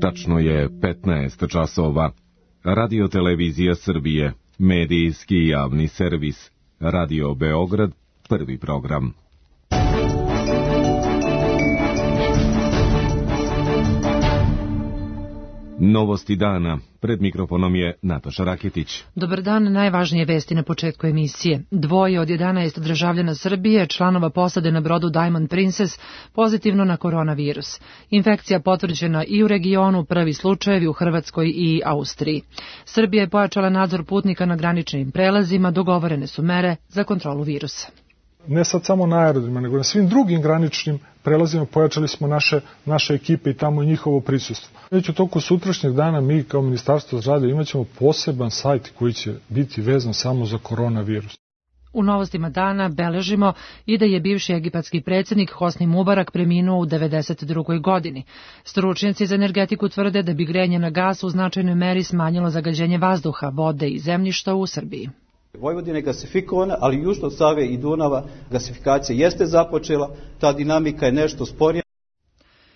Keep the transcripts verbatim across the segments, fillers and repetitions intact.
Tačno je petnaest časova. Radio Televizija Srbije, medijski javni servis, Radio Beograd, prvi program. Novosti dana. Pred mikrofonom je Nataša Raketić. Dobar dan, najvažnije vesti na početku emisije. Dvoje od jedanaest državljana Srbije, članova posade na brodu Diamond Princess, pozitivno na koronavirus. Infekcija potvrđena i u regionu, prvi slučajevi u Hrvatskoj i Austriji. Srbija je pojačala nadzor putnika na graničnim prelazima, dogovorene su mere za kontrolu virusa. Ne sad samo na aerodromima, nego na svim drugim graničnim prelazima pojačali smo naše, naše ekipe i tamo i njihovo prisustvo. Već u toku sutrašnjeg dana mi kao Ministarstvo zdravlja imat ćemo poseban sajt koji će biti vezan samo za koronavirus. U novostima dana beležimo i da je bivši egipatski predsjednik Hosni Mubarak preminuo u devedeset drugoj godini. Stručnjaci za energetiku tvrde da bi grejanje na gas u značajnoj meri smanjilo zagađenje vazduha, vode i zemljišta u Srbiji. Vojvodina je gasifikovana, ali južno od Save i Dunava gasifikacija jeste započela, ta dinamika je nešto sporija.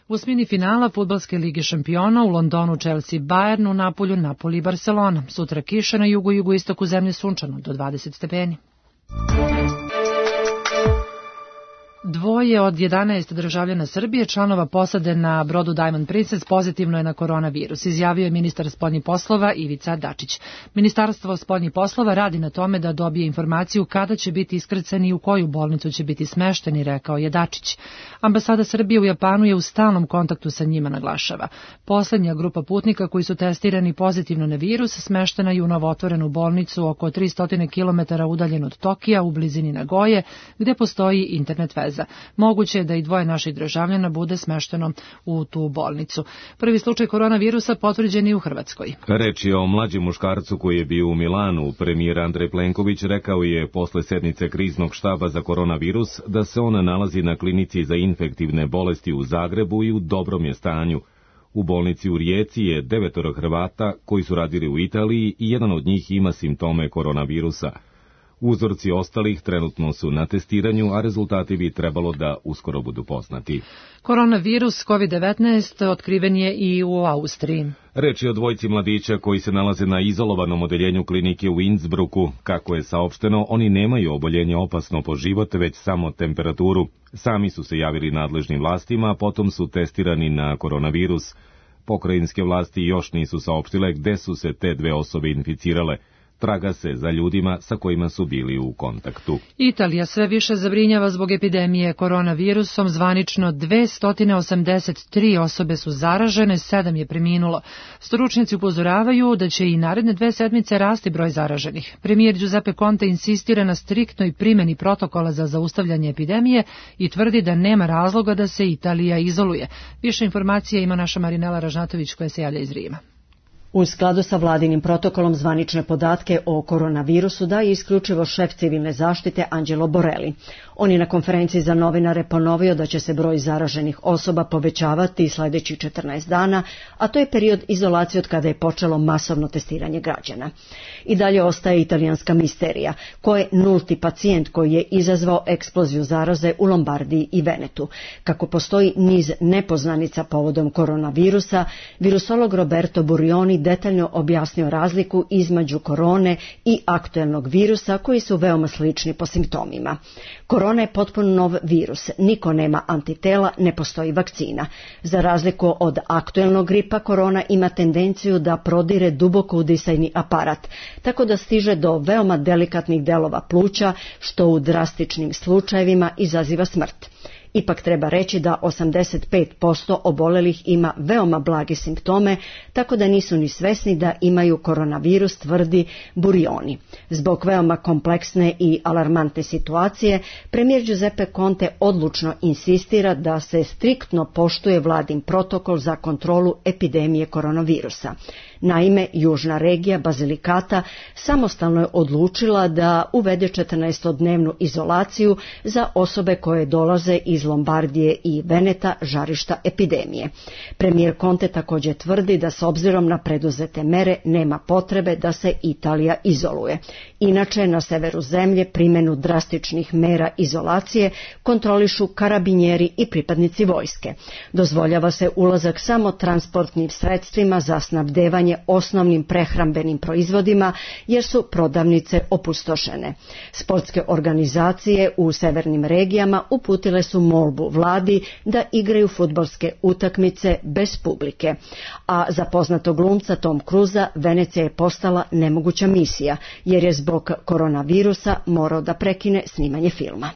U osmini finala Fudbalske lige šampiona u Londonu Chelsea Bayern, u Napolju Napoli i Barcelona. Sutra kiša, na jugu i jugoistoku zemlje sunčano do dvadeset stepeni. Dvoje od jedanaest državljana Srbije, članova posade na brodu Diamond Princess, pozitivno je na koronavirus, izjavio je ministar spoljnih poslova Ivica Dačić. Ministarstvo spoljnih poslova radi na tome da dobije informaciju kada će biti iskrcani i u koju bolnicu će biti smešteni, rekao je Dačić. Ambasada Srbije u Japanu je u stalnom kontaktu sa njima, naglašava. Poslednja grupa putnika koji su testirani pozitivno na virus smeštena je u novootvorenu bolnicu oko tristo kilometara udaljen od Tokija u blizini Nagoje, gde postoji internet veza. Moguće je da i dvoje naših državljana bude smešteno u tu bolnicu. Prvi slučaj koronavirusa potvrđen i u Hrvatskoj. Reč je o mlađem muškarcu koji je bio u Milanu. Premijer Andrej Plenković rekao je posle sednice kriznog štaba za koronavirus da se on nalazi na klinici za infektivne bolesti u Zagrebu i u dobrom je stanju. U bolnici u Rijeci je devetoro Hrvata koji su radili u Italiji i jedan od njih ima simptome koronavirusa. Uzorci ostalih trenutno su na testiranju, a rezultati bi trebalo da uskoro budu poznati. Koronavirus kovid devetnaest otkriven je i u Austriji. Reč je o dvojci mladića koji se nalaze na izolovanom odeljenju klinike u Innsbrucku. Kako je saopšteno, oni nemaju oboljenje opasno po život, već samo temperaturu. Sami su se javili nadležnim vlastima, a potom su testirani na koronavirus. Pokrajinske vlasti još nisu saopštile gde su se te dve osobe inficirale. Traga se za ljudima sa kojima su bili u kontaktu. Italija sve više zabrinjava zbog epidemije koronavirusom. Zvanično dvesta osamdeset tri osobe su zaražene, sedam je preminulo. Stručnjaci upozoravaju da će i naredne dve sedmice rasti broj zaraženih. Premijer Giuseppe Conte insistira na striktnoj primjeni protokola za zaustavljanje epidemije i tvrdi da nema razloga da se Italija izoluje. Više informacija ima naša Marinela Ražnatović koja se javlja iz Rima. U skladu sa vladinim protokolom zvanične podatke o koronavirusu daje isključivo šef civilne zaštite Angelo Borelli. On je na konferenciji za novinare ponovio da će se broj zaraženih osoba povećavati sljedećih četrnaest dana, a to je period izolacije od kada je počelo masovno testiranje građana. I dalje ostaje italijanska misterija, ko je nulti pacijent koji je izazvao eksploziju zaraze u Lombardiji i Venetu. Kako postoji niz nepoznanica povodom koronavirusa, virusolog Roberto Burioni detaljno objasnio razliku između korone i aktuelnog virusa koji su veoma slični po simptomima. Korona je potpuno nov virus, niko nema antitela, ne postoji vakcina. Za razliku od aktuelnog gripa, korona ima tendenciju da prodire duboko u disajni aparat, tako da stiže do veoma delikatnih delova pluća, što u drastičnim slučajevima izaziva smrt. Ipak treba reći da osamdeset pet posto obolelih ima veoma blage simptome, tako da nisu ni svesni da imaju koronavirus, tvrdi Burioni. Zbog veoma kompleksne i alarmantne situacije, premijer Giuseppe Conte odlučno insistira da se striktno poštuje vladin protokol za kontrolu epidemije koronavirusa. Naime, južna regija Basilicata samostalno je odlučila da uvede četrnaestodnevnu izolaciju za osobe koje dolaze iz iz Lombardije i Veneta žarišta epidemije. Premijer Conte također tvrdi da s obzirom na preduzete mere nema potrebe da se Italija izoluje. Inače, na severu zemlje primjenu drastičnih mera izolacije kontrolišu karabinjeri i pripadnici vojske. Dozvoljava se ulazak samo transportnim sredstvima za snabdevanje osnovnim prehrambenim proizvodima jer su prodavnice opustošene. Sportske organizacije u severnim regijama uputile su molbu vladi da igraju fudbalske utakmice bez publike. A za poznatog glumca Tom Cruisa Venecija je postala nemoguća misija jer je zbog koronavirusa morao da prekine snimanje filma.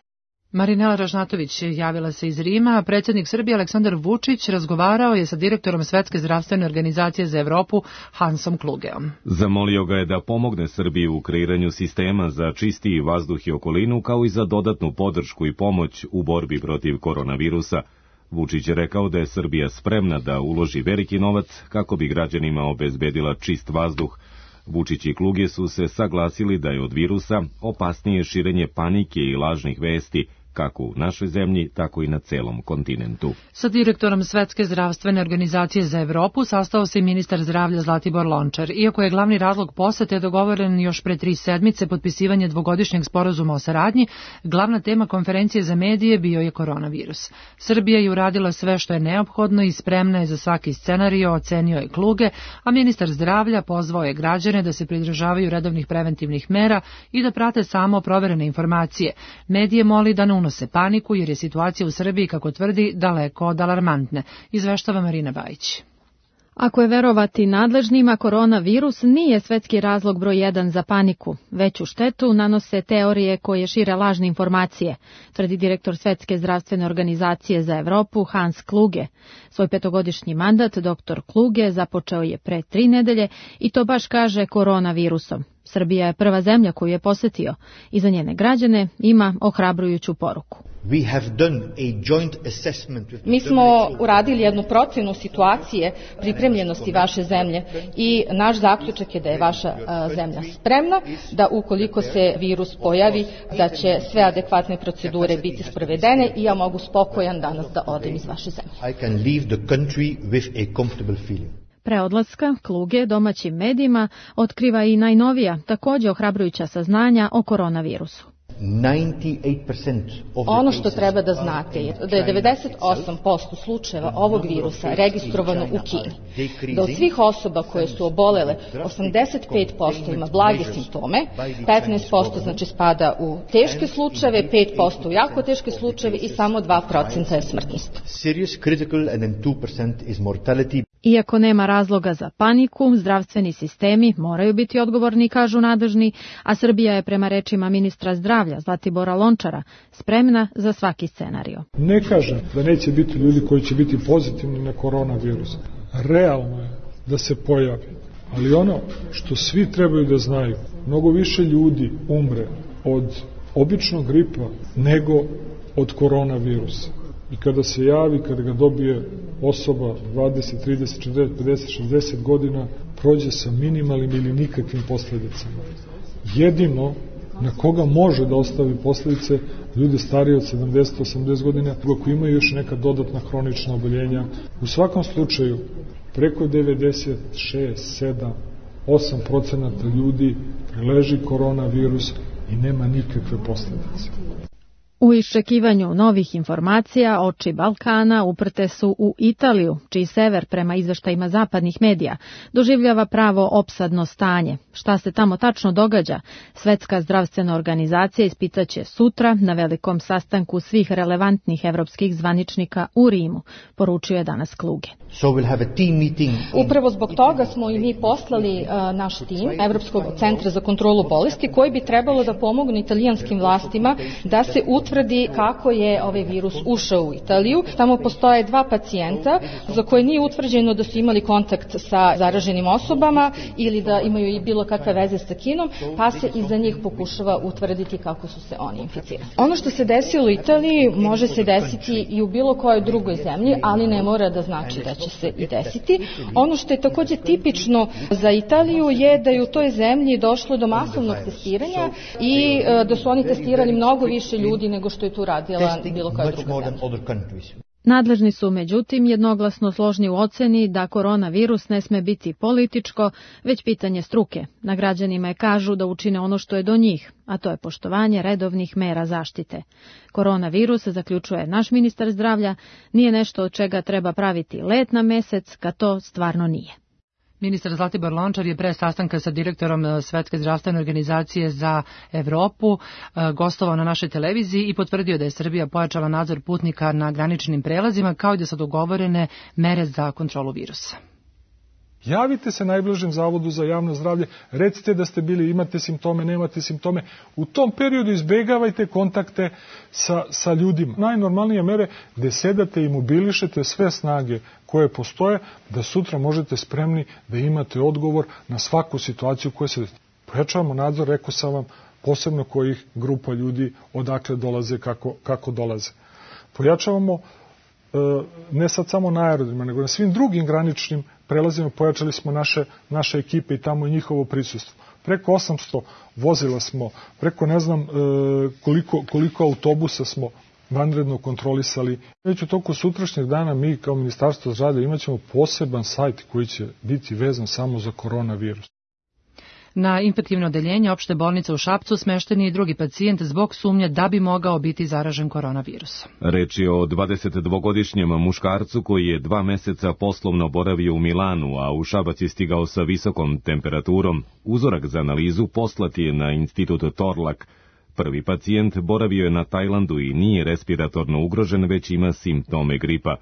Marinela Ražnatović javila se iz Rima, a predsjednik Srbije Aleksandar Vučić razgovarao je sa direktorom Svetske zdravstvene organizacije za Evropu Hansom Klugeom. Zamolio ga je da pomogne Srbiji u kreiranju sistema za čistiji vazduh i okolinu, kao i za dodatnu podršku i pomoć u borbi protiv koronavirusa. Vučić je rekao da je Srbija spremna da uloži veliki novac kako bi građanima obezbedila čist vazduh. Vučić i Kluge su se saglasili da je od virusa opasnije širenje panike i lažnih vesti, kako u našoj zemlji, tako i na celom kontinentu. Sa direktorom Svetske zdravstvene organizacije za Evropu sastao se i ministar zdravlja Zlatibor Lončar. Iako je glavni razlog posete dogovoren još pre tri sedmice potpisivanje dvogodišnjeg sporazuma o saradnji, glavna tema konferencije za medije bio je koronavirus. Srbija je uradila sve što je neophodno i spremna je za svaki scenario, ocenio je Kluge, a ministar zdravlja pozvao je građane da se pridržavaju redovnih preventivnih mera i da prate samo proverene informacije. Medije moli da ne unose paniku jer je situacija u Srbiji, kako tvrdi, daleko od alarmantne, izveštava Marina Bajić. Ako je verovati nadležnima, koronavirus nije svetski razlog broj jedan za paniku. Veću štetu nanose teorije koje šire lažne informacije, tvrdi direktor Svetske zdravstvene organizacije za Evropu Hans Kluge. Svoj petogodišnji mandat doktor Kluge započeo je pre tri nedelje i to baš kaže koronavirusom. Srbija je prva zemlja koju je posetio i za njene građane ima ohrabrujuću poruku. Mi smo uradili jednu procenu situacije pripremljenosti vaše zemlje i naš zaključak je da je vaša a, zemlja spremna, da ukoliko se virus pojavi, da će sve adekvatne procedure biti sprovedene i ja mogu spokojan danas da odem iz vaše zemlje. Pre odlaska Kluge domaćim medijima otkriva i najnovija, također ohrabrujuća saznanja o koronavirusu. Ono što treba da znate je da je devedeset osam posto slučajeva ovog virusa registrovano u Kini. Da od svih osoba koje su obolele, osamdeset pet posto ima blage simptome, petnaest posto znači spada u teške slučajeve, pet posto u jako teške slučajeve i samo dva procenta je smrtnost. Iako nema razloga za paniku, zdravstveni sistemi moraju biti odgovorni, kažu nadležni, a Srbija je prema rečima ministra zdravlja Zlatibora Lončara spremna za svaki scenario. Ne kažem da neće biti ljudi koji će biti pozitivni na koronavirus. Realno je da se pojavi. Ali ono što svi trebaju da znaju, mnogo više ljudi umre od običnog gripa nego od koronavirusa. I kada se javi, kada ga dobije osoba dvadeset, trideset, četrdeset, pedeset, šezdeset godina, prođe sa minimalnim ili nikakvim posljedicama. Jedino na koga može da ostavi posljedice ljude starije od sedamdeset, osamdeset godina, ako imaju još neka dodatna hronična oboljenja. U svakom slučaju, preko devedeset šest, sedam, osam procenata ljudi preleži koronavirus i nema nikakve posljedice. U iščekivanju novih informacija oči Balkana uprte su u Italiju, čiji sever prema izveštajima zapadnih medija doživljava pravo opsadno stanje. Šta se tamo tačno događa? Svetska zdravstvena organizacija ispitaće sutra na velikom sastanku svih relevantnih evropskih zvaničnika u Rimu, poručio je danas Kluge. So we'll have a team meeting. Upravo zbog toga smo i mi poslali uh, naš tim Evropskog centra za kontrolu bolesti koji bi trebalo da pomognu italijanskim vlastima da se utvrdi kako je ovaj virus ušao u Italiju. Tamo postoje dva pacijenta za koje nije utvrđeno da su imali kontakt sa zaraženim osobama ili da imaju i bilo kakve veze sa Kinom, pa se i za njih pokušava utvrditi kako su se oni inficirali. Ono što se desilo u Italiji može se desiti i u bilo kojoj drugoj zemlji, ali ne mora da znači da će se i desiti. Ono što je također tipično za Italiju je da je u toj zemlji došlo do masovnog testiranja i da su oni testirali mnogo više ljudi nego što je to radila bilo koja druga zemlja. Nadležni su, međutim, jednoglasno složni u oceni da koronavirus ne sme biti političko, već pitanje struke. Na građanima je kažu da učine ono što je do njih, a to je poštovanje redovnih mera zaštite. Koronavirus, zaključuje naš ministar zdravlja, nije nešto od čega treba praviti let na mesec, kad to stvarno nije. Ministar Zlatibor Lončar je pre sastanka sa direktorom Svetske zdravstvene organizacije za Evropu gostovao na našoj televiziji i potvrdio da je Srbija pojačala nadzor putnika na graničnim prelazima, kao i da su dogovorene mere za kontrolu virusa. Javite se najbližem zavodu za javno zdravlje, recite da ste bili, imate simptome, nemate simptome. U tom periodu izbegavajte kontakte sa, sa ljudima. Najnormalnije mere gde sedate i mobilišete sve snage koje postoje, da sutra možete spremni da imate odgovor na svaku situaciju koja se... Pojačavamo nadzor, rekao sam vam, posebno kojih grupa ljudi odakle dolaze, kako, kako dolaze. Pojačavamo ne sad samo na aerodromima, nego na svim drugim graničnim prelazima pojačali smo naše, naše ekipe i tamo i njihovo prisustvo. Preko osamsto vozila smo, preko ne znam koliko, koliko autobusa smo vanredno kontrolisali. Već u toku sutrašnjeg dana mi kao Ministarstvo zdravlja imat ćemo poseban sajt koji će biti vezan samo za koronavirus. Na infektivno odeljenje opšte bolnice u Šapcu smešten je i drugi pacijent zbog sumnje da bi mogao biti zaražen koronavirusom. Reč je o dvadesetdvogodišnjem muškarcu koji je dva meseca poslovno boravio u Milanu, a u Šabac je stigao sa visokom temperaturom. Uzorak za analizu poslat je na institut Torlak. Prvi pacijent boravio je na Tajlandu i nije respiratorno ugrožen, već ima simptome gripa.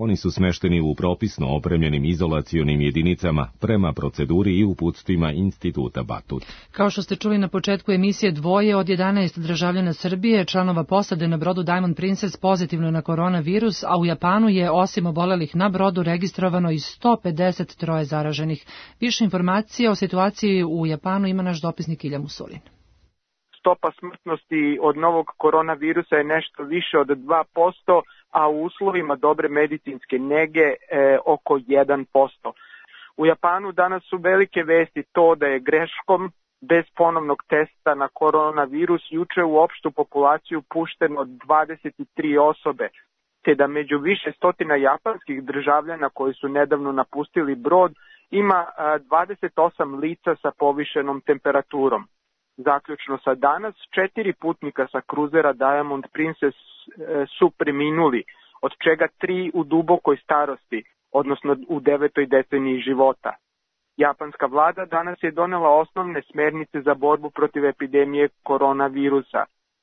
Oni su smešteni u propisno opremljenim izolacionim jedinicama prema proceduri i uputstvima Instituta Batut. Kao što ste čuli na početku emisije, dvoje od jedanaest državljana Srbije, članova posade na brodu Diamond Princess, pozitivno na koronavirus, a u Japanu je osim obolelih na brodu registrovano i sto pedeset tri zaraženih. Više informacija o situaciji u Japanu ima naš dopisnik Ilja Musulin. Stopa smrtnosti od novog koronavirusa je nešto više od dva posto, a u uslovima dobre medicinske nege e, oko jedan posto. U Japanu danas su velike vesti to da je greškom bez ponovnog testa na koronavirus juče u opštu populaciju pušteno dvadeset tri osobe, te da među više stotina japanskih državljana koji su nedavno napustili brod ima dvadeset osam lica sa povišenom temperaturom. Zaključno sa danas, četiri putnika sa kruzera Diamond Princess su preminuli, od čega tri u dubokoj starosti, odnosno u devetoj deceniji života. Japanska vlada danas je donela osnovne smernice za borbu protiv epidemije koronavirusa.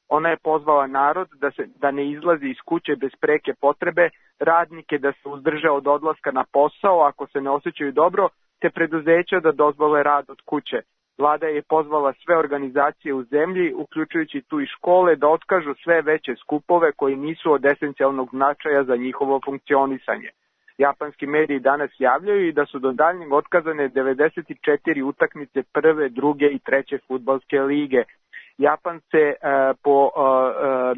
Ona je pozvala narod da, se, da ne izlazi iz kuće bez preke potrebe, radnike da se uzdrže od odlaska na posao ako se ne osjećaju dobro, te preduzeća da dozvole rad od kuće. Vlada je pozvala sve organizacije u zemlji, uključujući tu i škole, da otkažu sve veće skupove koji nisu od esencijalnog značaja za njihovo funkcionisanje. Japanski mediji danas javljaju i da su do daljnjeg otkazane devedeset četiri utakmice prve, druge i treće fudbalske lige. Japan se e, po e,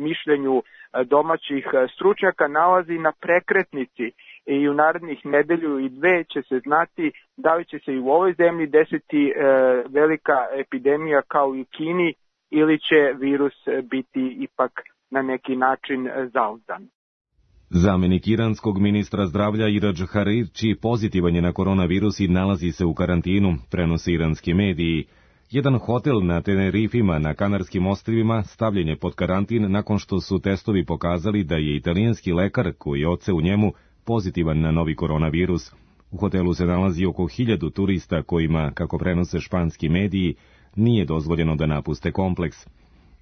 mišljenju domaćih stručnjaka nalazi na prekretnici i u narednih nedelju i dve će se znati da li će se i u ovoj zemlji desiti e, velika epidemija kao i u Kini ili će virus biti ipak na neki način zauzdan. Zamenik iranskog ministra zdravlja Iradž Harirči pozitivan je na koronavirus i nalazi se u karantinu, prenose iranski mediji. Jedan hotel na Tenerifima na Kanarskim ostrvima stavljen je pod karantin nakon što su testovi pokazali da je italijanski lekar koji je oce u njemu pozitivan na novi koronavirus. U hotelu se nalazi oko hiljadu turista kojima, kako prenose španski mediji, nije dozvoljeno da napuste kompleks.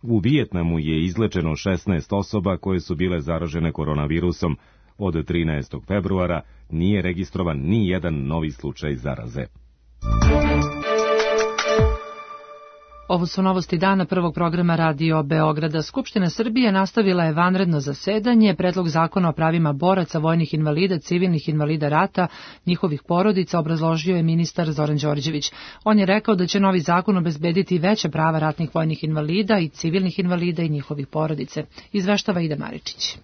U Vijetnamu je izlečeno šesnaest osoba koje su bile zaražene koronavirusom. Od trinaestog februara nije registrovan ni jedan novi slučaj zaraze. Ovo su novosti dana prvog programa Radio Beograda. Skupština Srbije nastavila je vanredno zasedanje. Predlog zakona o pravima boraca, vojnih invalida, civilnih invalida rata, njihovih porodica obrazložio je ministar Zoran Đorđević. On je rekao da će novi zakon obezbediti veće prava ratnih vojnih invalida i civilnih invalida i njihovih porodice. Izveštava Ida Maričić.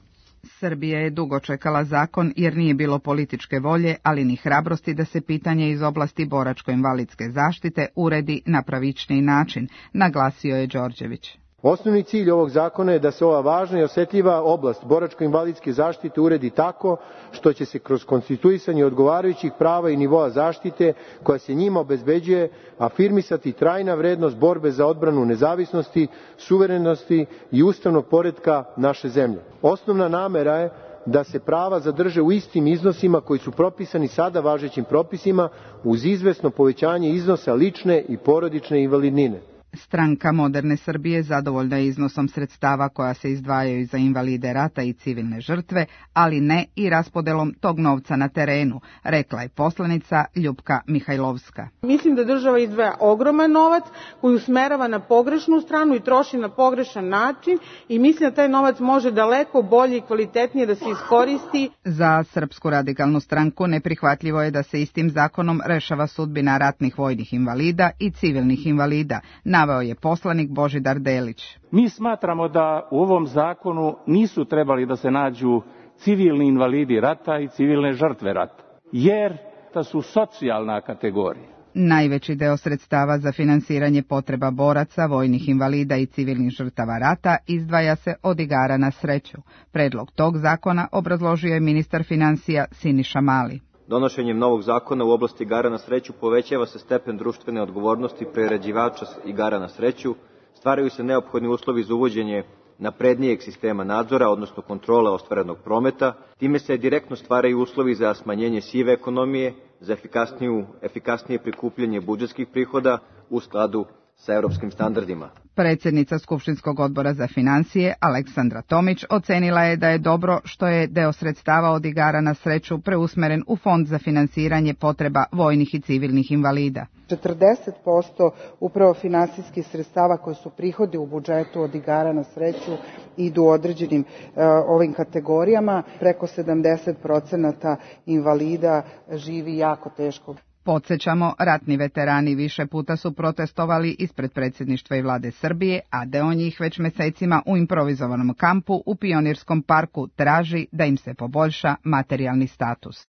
Srbija je dugo čekala zakon jer nije bilo političke volje, ali ni hrabrosti da se pitanje iz oblasti boračko-invalidske zaštite uredi na pravičniji način, naglasio je Đorđević. Osnovni cilj ovog zakona je da se ova važna i osetljiva oblast boračko-invalidske zaštite uredi tako što će se kroz konstituisanje odgovarajućih prava i nivoa zaštite koja se njima obezbeđuje afirmisati trajna vrednost borbe za odbranu nezavisnosti, suverenosti i ustavnog poretka naše zemlje. Osnovna namera je da se prava zadrže u istim iznosima koji su propisani sada važećim propisima uz izvesno povećanje iznosa lične i porodične invalidnine. Stranka Moderne Srbije zadovoljna je iznosom sredstava koja se izdvajaju za invalide rata i civilne žrtve, ali ne i raspodelom tog novca na terenu, rekla je poslanica Ljupka Mihajlovska. Mislim da država izdvaja ogroman novac koji usmerava na pogrešnu stranu i troši na pogrešan način i mislim da taj novac može daleko bolje i kvalitetnije da se iskoristi. Za Srpsku radikalnu stranku neprihvatljivo je da se istim zakonom rešava sudbina ratnih vojnih invalida i civilnih invalida, naveo je poslanik Božidar Delić. Mi smatramo da u ovom zakonu nisu trebali da se nađu civilni invalidi rata i civilne žrtve rata, jer to su socijalna kategorija. Najveći deo sredstava za finansiranje potreba boraca, vojnih invalida i civilnih žrtava rata izdvaja se od igara na sreću. Predlog tog zakona obrazložio je ministar finansija Siniša Mali. Donošenjem novog zakona u oblasti igara na sreću povećava se stepen društvene odgovornosti priređivača igara na sreću, stvaraju se neophodni uslovi za uvođenje naprednijeg sistema nadzora, odnosno kontrole ostvarenog prometa, time se direktno stvaraju uslovi za smanjenje sive ekonomije, za efikasniju, efikasnije prikupljanje budžetskih prihoda u skladu sa europskim standardima. Predsjednica Skupštinskog odbora za financije Aleksandra Tomić ocenila je da je dobro što je deo sredstava od igara na sreću preusmeren u Fond za finansiranje potreba vojnih i civilnih invalida. četrdeset posto upravo finansijskih sredstava koji su prihodi u budžetu od igara na sreću idu određenim uh, ovim kategorijama. Preko sedamdeset procenata invalida živi jako teško. Podsjećamo, ratni veterani više puta su protestovali ispred predsjedništva i vlade Srbije, a deo njih već mesecima u improvizovanom kampu u Pionirskom parku traži da im se poboljša materijalni status.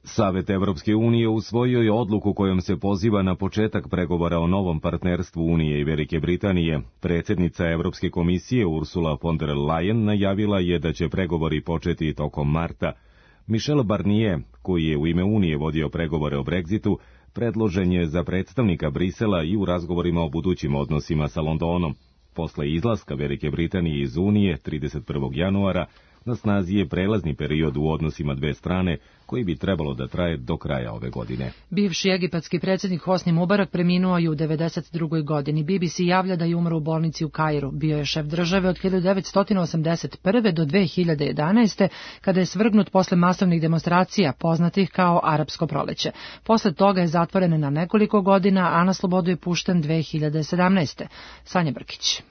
Savet Evropske unije usvojio je odluku kojom se poziva na početak pregovora o novom partnerstvu Unije i Velike Britanije. Predsjednica Evropske komisije Ursula von der Leyen najavila je da će pregovori početi tokom marta. Michel Barnier, koji je u ime Unije vodio pregovore o Brexitu, predložen je za predstavnika Brisela i u razgovorima o budućim odnosima sa Londonom. Posle izlaska Velike Britanije iz Unije trideset prvog januara, na snazi je prelazni period u odnosima dve strane, koji bi trebalo da traje do kraja ove godine. Bivši egipatski predsjednik Hosni Mubarak preminuo je u devedeset drugoj godini. B B C javlja da je umro u bolnici u Kairu. Bio je šef države od hiljadu devetsto osamdeset prve do dve hiljade jedanaeste. kada je svrgnut posle masovnih demonstracija poznatih kao Arapsko proleće. Posle toga je zatvoren na nekoliko godina, a na slobodu je pušten dve hiljade sedamnaeste. Sanja Brkić.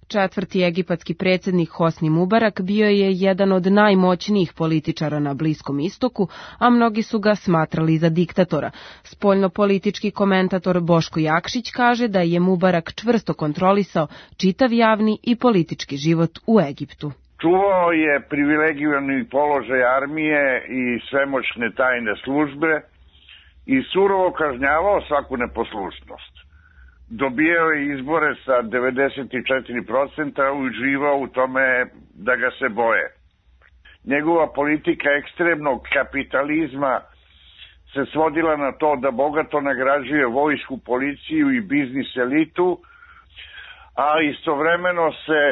Četvrti egipatski predsjednik Hosni Mubarak bio je jedan od najmoćnijih političara na Bliskom istoku, a mnogi su ga smatrali za diktatora. Spoljnopolitički komentator Boško Jakšić kaže da je Mubarak čvrsto kontrolisao čitav javni i politički život u Egiptu. Čuvao je privilegirani položaj armije i svemoćne tajne službe i surovo kažnjavao svaku neposlušnost. Dobijao je izbore sa devedeset četiri procenta, uživao u tome da ga se boje. Njegova politika ekstremnog kapitalizma se svodila na to da bogato nagrađuje vojsku, policiju i biznis elitu, a istovremeno se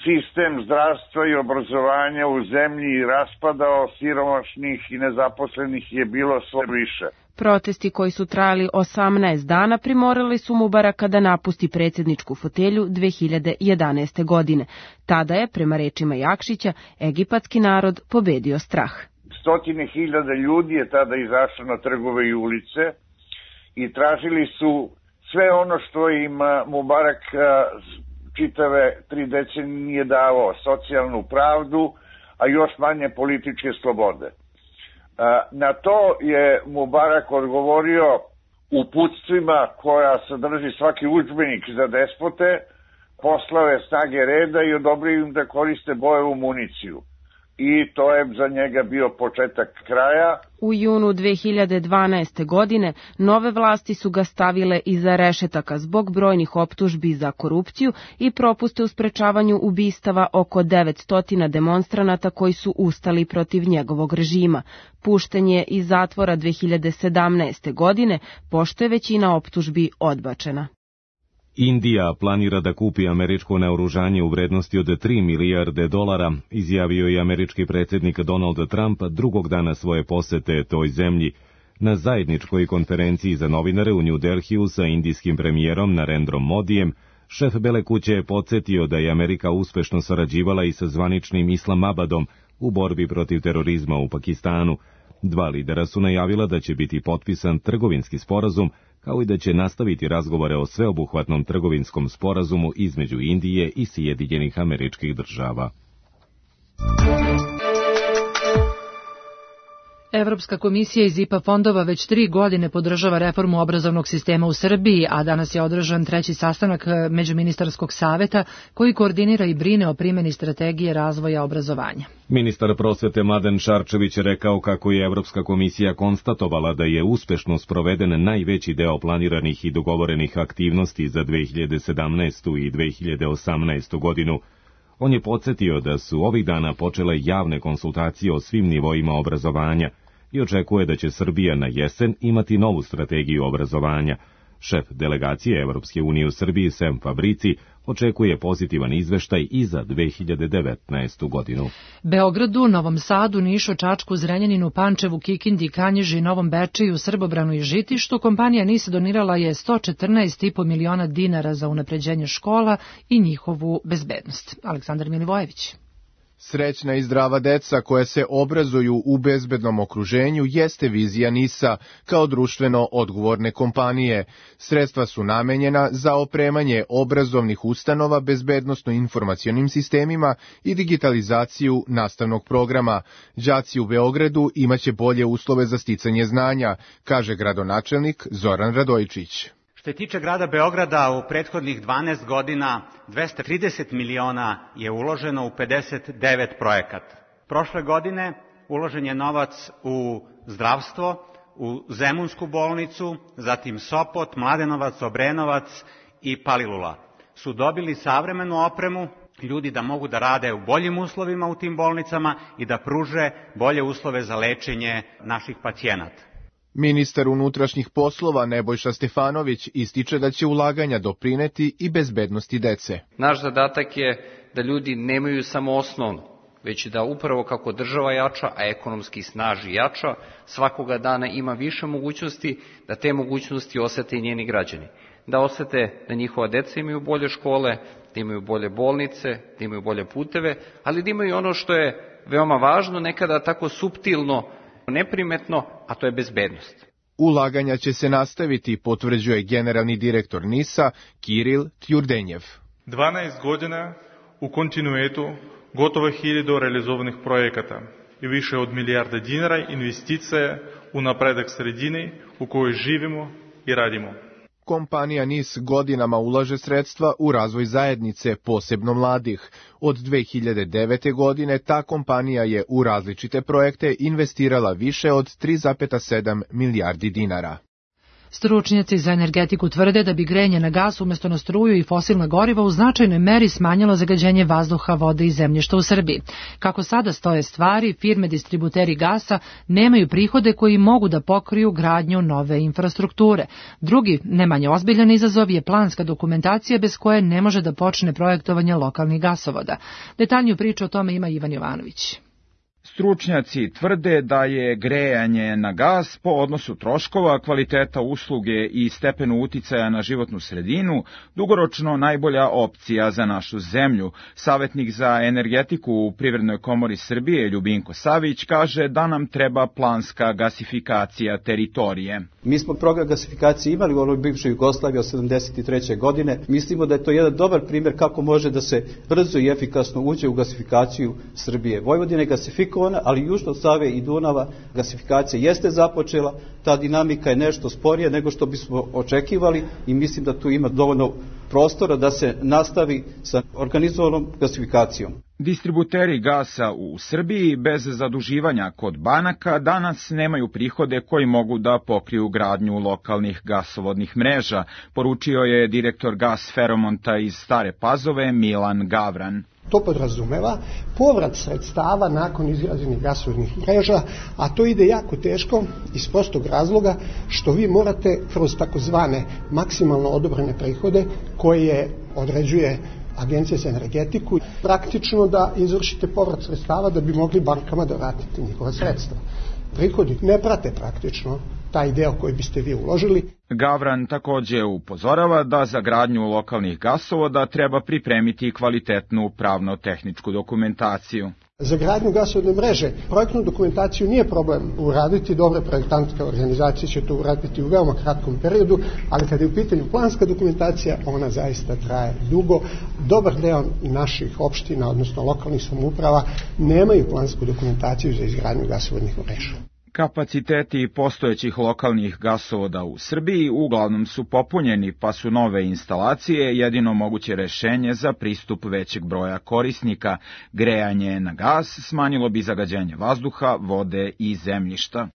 sistem zdravstva i obrazovanja u zemlji raspadao, siromašnih i nezaposlenih je bilo sve više. Protesti koji su trajali osamnaest dana primorali su Mubaraka da napusti predsjedničku fotelju dve hiljade jedanaeste. godine. Tada je, prema rečima Jakšića, egipatski narod pobedio strah. Stotine hiljada ljudi je tada izašlo na trgove i ulice i tražili su sve ono što im Mubarak čitave tri decenije nije davao, socijalnu pravdu, a još manje političke slobode. Na to je Mubarak odgovorio uputstvima koja sadrži svaki udžbenik za despote, poslao je snage reda i odobrio im da koriste bojevu municiju. i to je za njega bio početak kraja. U junu dve hiljade dvanaeste. godine nove vlasti su ga stavile iza rešetaka zbog brojnih optužbi za korupciju i propuste u sprečavanju ubistava oko devetsto demonstranata koji su ustali protiv njegovog režima. Pušten je iz zatvora dve hiljade sedamnaeste. godine, pošto je većina optužbi odbačena. Indija planira da kupi američko naoružanje u vrednosti od tri milijarde dolara, izjavio je američki predsjednik Donald Trump drugog dana svoje posete toj zemlji. Na zajedničkoj konferenciji za novinare u New Delhiju sa indijskim premijerom Narendrom Modijem, šef Bele kuće je podsjetio da je Amerika uspešno sarađivala i sa zvaničnim Islamabadom u borbi protiv terorizma u Pakistanu. Dva lidera su najavila da će biti potpisan trgovinski sporazum, kao i da će nastaviti razgovore o sveobuhvatnom trgovinskom sporazumu između Indije i Sjedinjenih Američkih Država. Evropska komisija iz I P A fondova već tri godine podržava reformu obrazovnog sistema u Srbiji, a danas je održan treći sastanak Međuministarskog saveta koji koordinira i brine o primjeni strategije razvoja obrazovanja. Ministar prosvete Mladen Šarčević je rekao kako je Evropska komisija konstatovala da je uspešno sproveden najveći deo planiranih i dogovorenih aktivnosti za dve hiljade sedamnaestu. i dve hiljade osamnaestu. godinu. On je podsjetio da su ovih dana počele javne konsultacije o svim nivoima obrazovanja i očekuje da će Srbija na jesen imati novu strategiju obrazovanja. Šef delegacije Evropske unije u Srbiji Sem Fabrici očekuje pozitivan izveštaj i za dve hiljade devetnaestu. godinu. Beogradu, Novom Sadu, Nišu, Čačku, Zrenjaninu, Pančevu, Kikindi, Kanjiži, Novom Bečeju, Srbobranu i Žitištu kompanija NIS donirala je sto četrnaest zarez pet miliona dinara za unapređenje škola i njihovu bezbednost. Aleksandar Milivojević. Srećna i zdrava deca koja se obrazuju u bezbednom okruženju jeste vizija NIS-a kao društveno odgovorne kompanije. Sredstva su namenjena za opremanje obrazovnih ustanova bezbednosno-informacionim sistemima i digitalizaciju nastavnog programa. Đaci u Beogradu imaće bolje uslove za sticanje znanja, kaže gradonačelnik Zoran Radojičić. Što se tiče grada Beograda, u prethodnih dvanaest godina dvesta trideset miliona je uloženo u pedeset devet projekata. Prošle godine uložen je novac u zdravstvo, u Zemunsku bolnicu, zatim Sopot, Mladenovac, Obrenovac i Palilula. Su dobili savremenu opremu, ljudi da mogu da rade u boljim uslovima u tim bolnicama i da pruže bolje uslove za lečenje naših pacijenata. Ministar unutrašnjih poslova Nebojša Stefanović ističe da će ulaganja doprineti i bezbednosti dece. Naš zadatak je da ljudi nemaju samo osnovno, već da upravo kako država jača, a ekonomski snaži jača, svakoga dana ima više mogućnosti, da te mogućnosti osete i njeni građani. Da osete da njihova deca imaju bolje škole, da imaju bolje bolnice, da imaju bolje puteve, ali da imaju ono što je veoma važno, nekada tako suptilno, neprimetno, a to je bezbednost. Ulaganja će se nastaviti, potvrđuje generalni direktor NIS-a Kiril Tjurdenjev. dvanaest godina u kontinuitetu gotovo hiljadu realizovanih projekata i više od milijarda dinara investicija u napredak sredine u kojoj živimo i radimo. Kompanija NIS godinama ulaže sredstva u razvoj zajednice, posebno mladih. Od dve hiljade devete. godine ta kompanija je u različite projekte investirala više od tri zarez sedam milijardi dinara. Stručnjaci za energetiku tvrde da bi grejanje na gas umjesto na struju i fosilna goriva u značajnoj meri smanjilo zagađenje vazduha, vode i zemljišta u Srbiji. Kako sada stoje stvari, firme distributeri gasa nemaju prihode koji mogu da pokriju gradnju nove infrastrukture. Drugi, ne manje ozbiljan izazov je planska dokumentacija bez koje ne može da počne projektovanje lokalnih gasovoda. Detaljniju priču o tome ima Ivan Jovanović. Stručnjaci tvrde da je grejanje na gas po odnosu troškova, kvaliteta usluge i stepenu uticaja na životnu sredinu dugoročno najbolja opcija za našu zemlju. Savjetnik za energetiku u Privrednoj komori Srbije Ljubinko Savić kaže da nam treba planska gasifikacija teritorije. Mi smo program gasifikacije imali u onoj bivšoj Jugoslaviji od sedamdeset treće. godine. Mislimo da je to jedan dobar primjer kako može da se brzo i efikasno uđe u gasifikaciju Srbije. Vojvodina je gasifikovana, ali južno od Save i Dunava gasifikacija jeste započela, ta dinamika je nešto sporija nego što bismo očekivali i mislim da tu ima dovoljno prostora da se nastavi sa organizovanom gasifikacijom. Distributeri gasa u Srbiji bez zaduživanja kod banaka danas nemaju prihode koji mogu da pokriju gradnju lokalnih gasovodnih mreža, poručio je direktor Gas Feromonta iz Stare Pazove Milan Gavran. To podrazumeva povrat sredstava nakon izgrađenih gasovodnih mreža, a to ide jako teško iz prostog razloga što vi morate kroz takozvane maksimalno odobrene prihode koje određuje Agencija za energetiku, praktično da izvršite povrat sredstava da bi mogli bankama da vratite njihova sredstva. Prihodi ne prate praktično taj deo koji biste vi uložili. Gavran takođe upozorava da za gradnju lokalnih gasovoda treba pripremiti kvalitetnu pravno-tehničku dokumentaciju. Za gradnju gasovodne mreže projektnu dokumentaciju nije problem uraditi, dobre projektantske organizacije će to uraditi u veoma kratkom periodu, ali kada je u pitanju planska dokumentacija, ona zaista traje dugo. Dobar deo naših opština, odnosno lokalnih samouprava, nemaju plansku dokumentaciju za izgradnju gasovodnih mreža. Kapaciteti postojećih lokalnih gasovoda u Srbiji uglavnom su popunjeni, pa su nove instalacije jedino moguće rešenje za pristup većeg broja korisnika. Grejanje na gas smanjilo bi zagađenje vazduha, vode i zemljišta.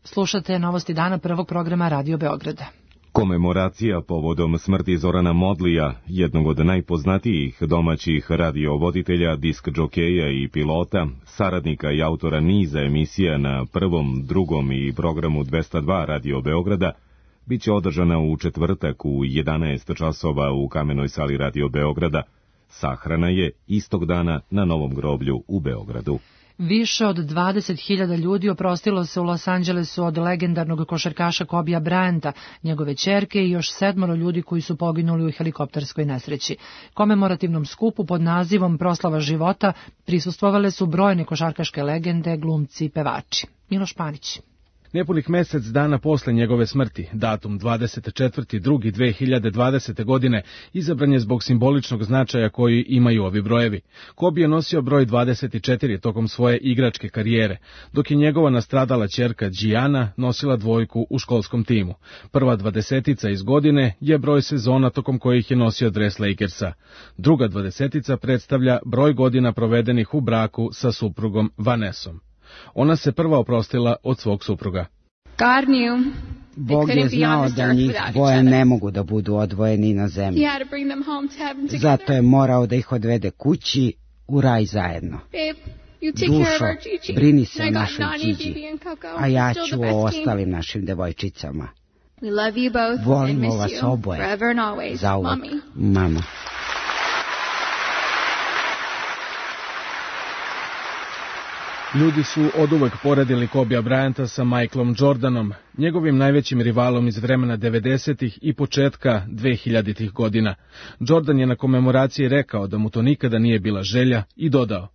Slušate Novosti dana prvog programa Radio Beograda. Komemoracija povodom smrti Zorana Modlija, jednog od najpoznatijih domaćih radiovoditelja, disk džokeja i pilota, saradnika i autora niza emisija na prvom, drugom i programu dvesta dva Radio Beograda, biće održana u četvrtak u jedanaest časova u Kamenoj sali Radio Beograda. Sahrana je istog dana na Novom groblju u Beogradu. Više od dvadeset hiljada ljudi oprostilo se u Los Angelesu od legendarnog košarkaša Kobija Bryanta, njegove ćerke i još sedmoro ljudi koji su poginuli u helikopterskoj nesreći. Komemorativnom skupu pod nazivom Proslava života prisustvovale su brojne košarkaške legende, glumci i pevači. Miloš Panić. Nepunih mesec dana posle njegove smrti, datum dvadeset četvrti drugi dve hiljade dvadesete. godine, izabran je zbog simboličnog značaja koji imaju ovi brojevi. Kobe je nosio broj dvadeset četiri tokom svoje igračke karijere, dok je njegova nastradala ćerka Gianna nosila dvojku u školskom timu. Prva dvadesetica iz godine je broj sezona tokom kojih je nosio dres Lakersa. Druga dvadesetica predstavlja broj godina provedenih u braku sa suprugom Vanessom. Ona se prva oprostila od svog supruga. Bog je znao da njih dvoje ne mogu da budu odvojeni na zemlji. Zato je morao da ih odvede kući u raj zajedno. Dušo, brini se o našoj Điđi, a ja ću o ostalim našim devojčicama. Volimo vas oboje, zauvek, mama. Ljudi su oduvek poredili Kobija Bryanta sa Michaelom Jordanom, njegovim najvećim rivalom iz vremena devedesetih i početka dvehiljaditih godina. Jordan je na komemoraciji rekao da mu to nikada nije bila želja i dodao: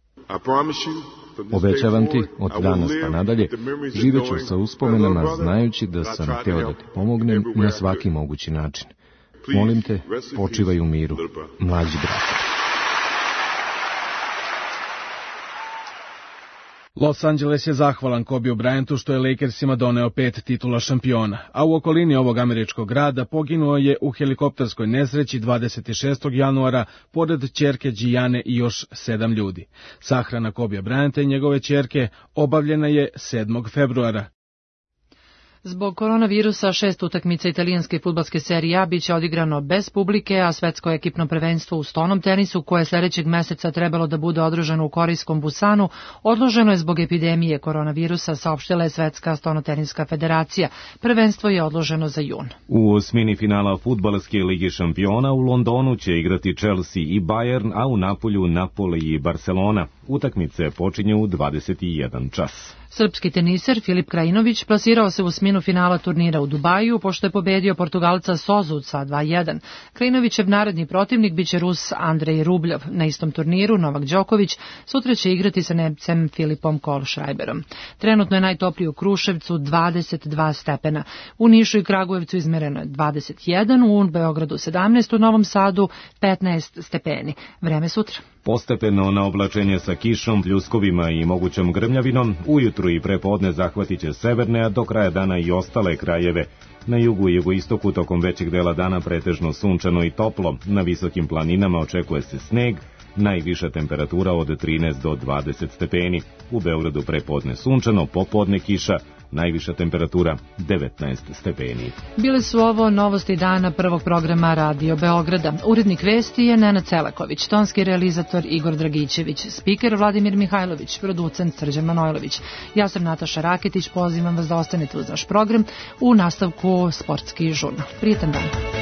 Obećavam ti, od danas pa nadalje, živeću sa uspomenama znajući da sam hteo da ti pomognem na svaki mogući način. Molim te, počivaj u miru, mlađi brate. Los Angeles je zahvalan Kobiju Bryantu što je Lakersima doneo pet titula šampiona, a u okolini ovog američkog grada poginuo je u helikopterskoj nesreći dvadeset šestog januara pored ćerke Gianne i još sedam ljudi. Sahrana Kobija Bryanta i njegove ćerke obavljena je sedmog februara. Zbog koronavirusa šest utakmica italijanske fudbalske serije A biće odigrano bez publike, a svetsko ekipno prvenstvo u stonom tenisu, koje sledećeg meseca trebalo da bude održano u korejskom Busanu, odloženo je zbog epidemije koronavirusa, saopštila je Svetska stonoteniska federacija. Prvenstvo je odloženo za jun. U osmini finala fudbalske lige šampiona u Londonu će igrati Chelsea i Bayern, a u Napolju Napoli i Barcelona. Utakmice počinju u dvadeset jedan čas. Srpski teniser Filip Krajinović plasirao se u osminu finala turnira u Dubaju, pošto je pobedio Portugalca Sozuca dva jedan. Krajinovićev naredni protivnik biće Rus Andrej Rubljov. Na istom turniru Novak Đoković sutra će igrati sa Nemcem Filipom Kohlschreiberom. Trenutno je najtoplije u Kruševcu dvadeset dva stepena. U Nišu i Kragujevcu izmereno je dvadeset jedan, u Beogradu sedamnaest, u Novom Sadu petnaest stepeni. Vreme sutra. Postepeno na oblačenje sa kišom, pljuskovima i mogućom grmljavinom, ujutru i prepodne zahvatit će severne, a do kraja dana i ostale krajeve. Na jugu i jugoistoku tokom većeg dela dana pretežno sunčano i toplo, na visokim planinama očekuje se sneg, Najviša temperatura od trinaest do dvadeset stepeni. U Beogradu prepodne sunčano, popodne kiša, najviša temperatura devetnaest stepeni. Bile su ovo novosti dana prvog programa Radio Beograda. Urednik vesti je Nenad Celaković, tonski realizator Igor Dragićević, spiker Vladimir Mihajlović, producent Srđan Manojlović. Ja sam Nataša Raketić, pozivam vas da ostanete uz naš program, u nastavku sportski žurnal. Prijetan dan.